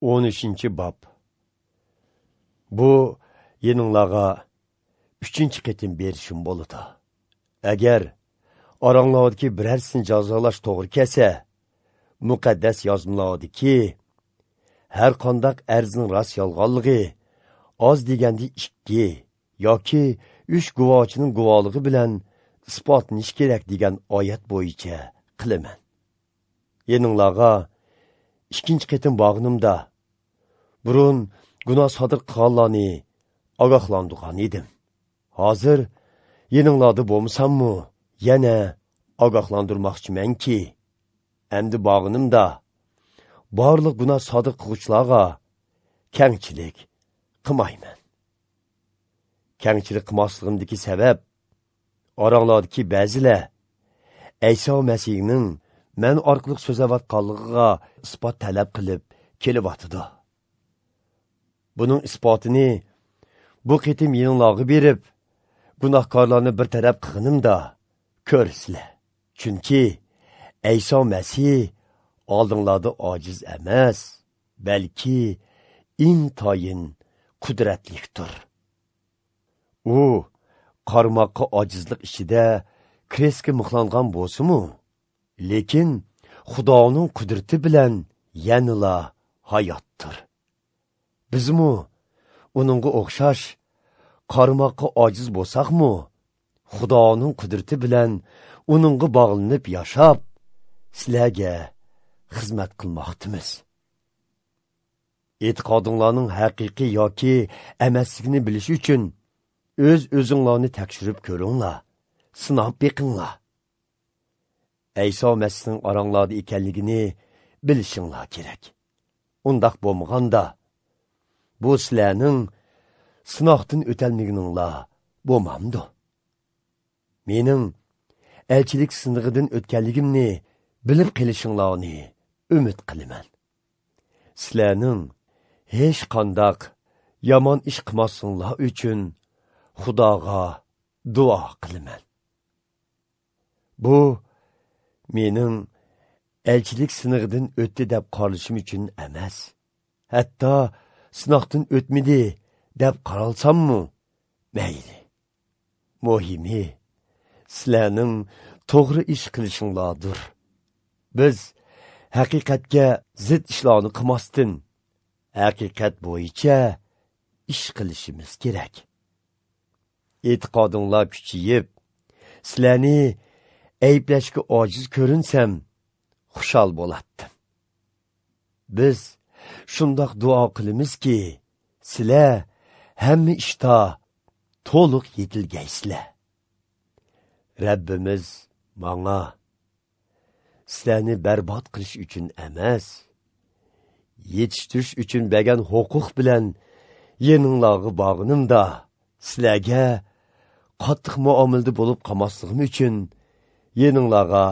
13. Bob. Bu yeninglarga 3 qitim berishim bo'ladi. Agar oranglardagi birarsini jazolash to'g'ri kelsa, muqaddas yozmalardagi har qandaq arzning rost yolg'onligi oz deganda 2 yoki 3 guvohchining guvohligi bilan isbotlanishi kerak degan oyat bo'yicha qilaman. Yeninglarga 2 qitim bog'inimda burun gunoh sodir qilganlarni ogohlantirgan edim. Hozir yeninglarda bo'lmasammi, yana ogohlantirmoqchimanki, endi bog'inimda barliq gunoh sodir qilguvchilarga kengchilik qilmayman. Kengchilik qilmasligimdagi sabab oranglardagi ba'zilar Ayso Masihning men orqali so'zlayotganligiga isbot talab qilib kelyotidi. Buning isbotini bu qitim yeninglarga berib, gunohkorlarni bir taraf qilganimda ko'rsizlar. Chunki Ayso Masih oldinglarda ojiz emas, balki intayin qudratlikdir. U qarmoqqa ojizlik ichida krestga mixlangan bo'lsa-mu, lekin Xudoning qudrati bilan yanala hayotdir. Bizmu uningga o'xshash qarmoqqa ojiz bo'lsaqmu, Xudoning qudrati bilan uningga bog'lanib yashab, sizlarga xizmat qilmoqdimiz. E'tiqodinglarning haqiqiy yoki emasligini bilish uchun o'z o'zinglarni tekshirib ko'ringlar, sinab beqinglar. Ayso Masihning oranglarda ekanligini bilishinglar kerak. Undaq bo'lmaganda bu sizlarning sinoqdan o'tolmaganinglar bo'lmamdi. Mening elchilik sinig'idan o'tganligimni bilib qilishinglarni umid qilaman. Sizlarning hech qandaq yomon ish qilmasinglar uchun Xudoga duo qilaman. Bu mening elchilik sinig'idan o'tdi deb qaralishim uchun emas. Hatto sinoqdan o'tmidi deb qaralsammi, mayli. Muhimi sizlarning to'g'ri ish qilishinglardir. Biz haqiqatga zid ishlarni qilmasdan, haqiqat bo'yicha ish qilishimiz kerak. E'tiqodinglar kuchayib, sizlarni ayblashga ojiz ko'rinsam, xushal bo'latdim. Biz shundoq duo qilamizki, sizlar hamma ishda to'liq yetilgaysizlar. Rabbimiz manga sizlarni barbod qilish uchun emas, yetishtirish uchun bergan huquq bilan yeninglarga bog'inimda sizlarga qattiq muomalada bo'lib qolmasligim uchun yeninglarga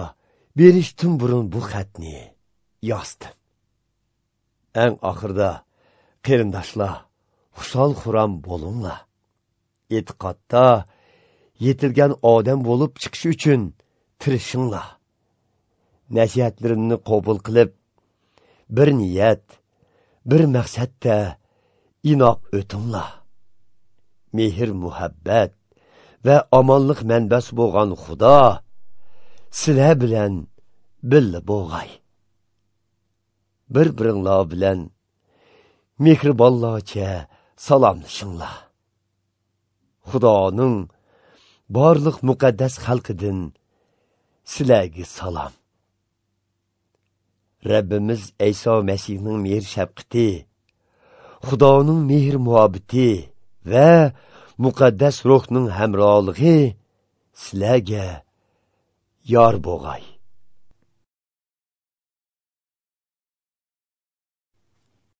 berishdan burun bu xatni yozdim. Eng oxirida qarindoshlar, xushal xuram bo'linglar. E'tiqodda yetilgan odam bo'lib chiqish uchun tirishinglar. Nasihatlarimni qabul qilib, bir niyat, bir maqsadda inoq o'tinglar. Mehr, muhabbat va omonlik manbasi bo'lgan Xudo sizlar bilan birga bo'lg'ay. Bir-biringlar bilan mehribonlarcha salomlashinglar. Xudoning barliq muqaddas xalqidan sizlarga salom. Rabbimiz Ayso Masihning mehr shafqati, Xudoning mehr muhabbati va muqaddas ruhning hamrohligi sizlarga yor bo'lg'ay.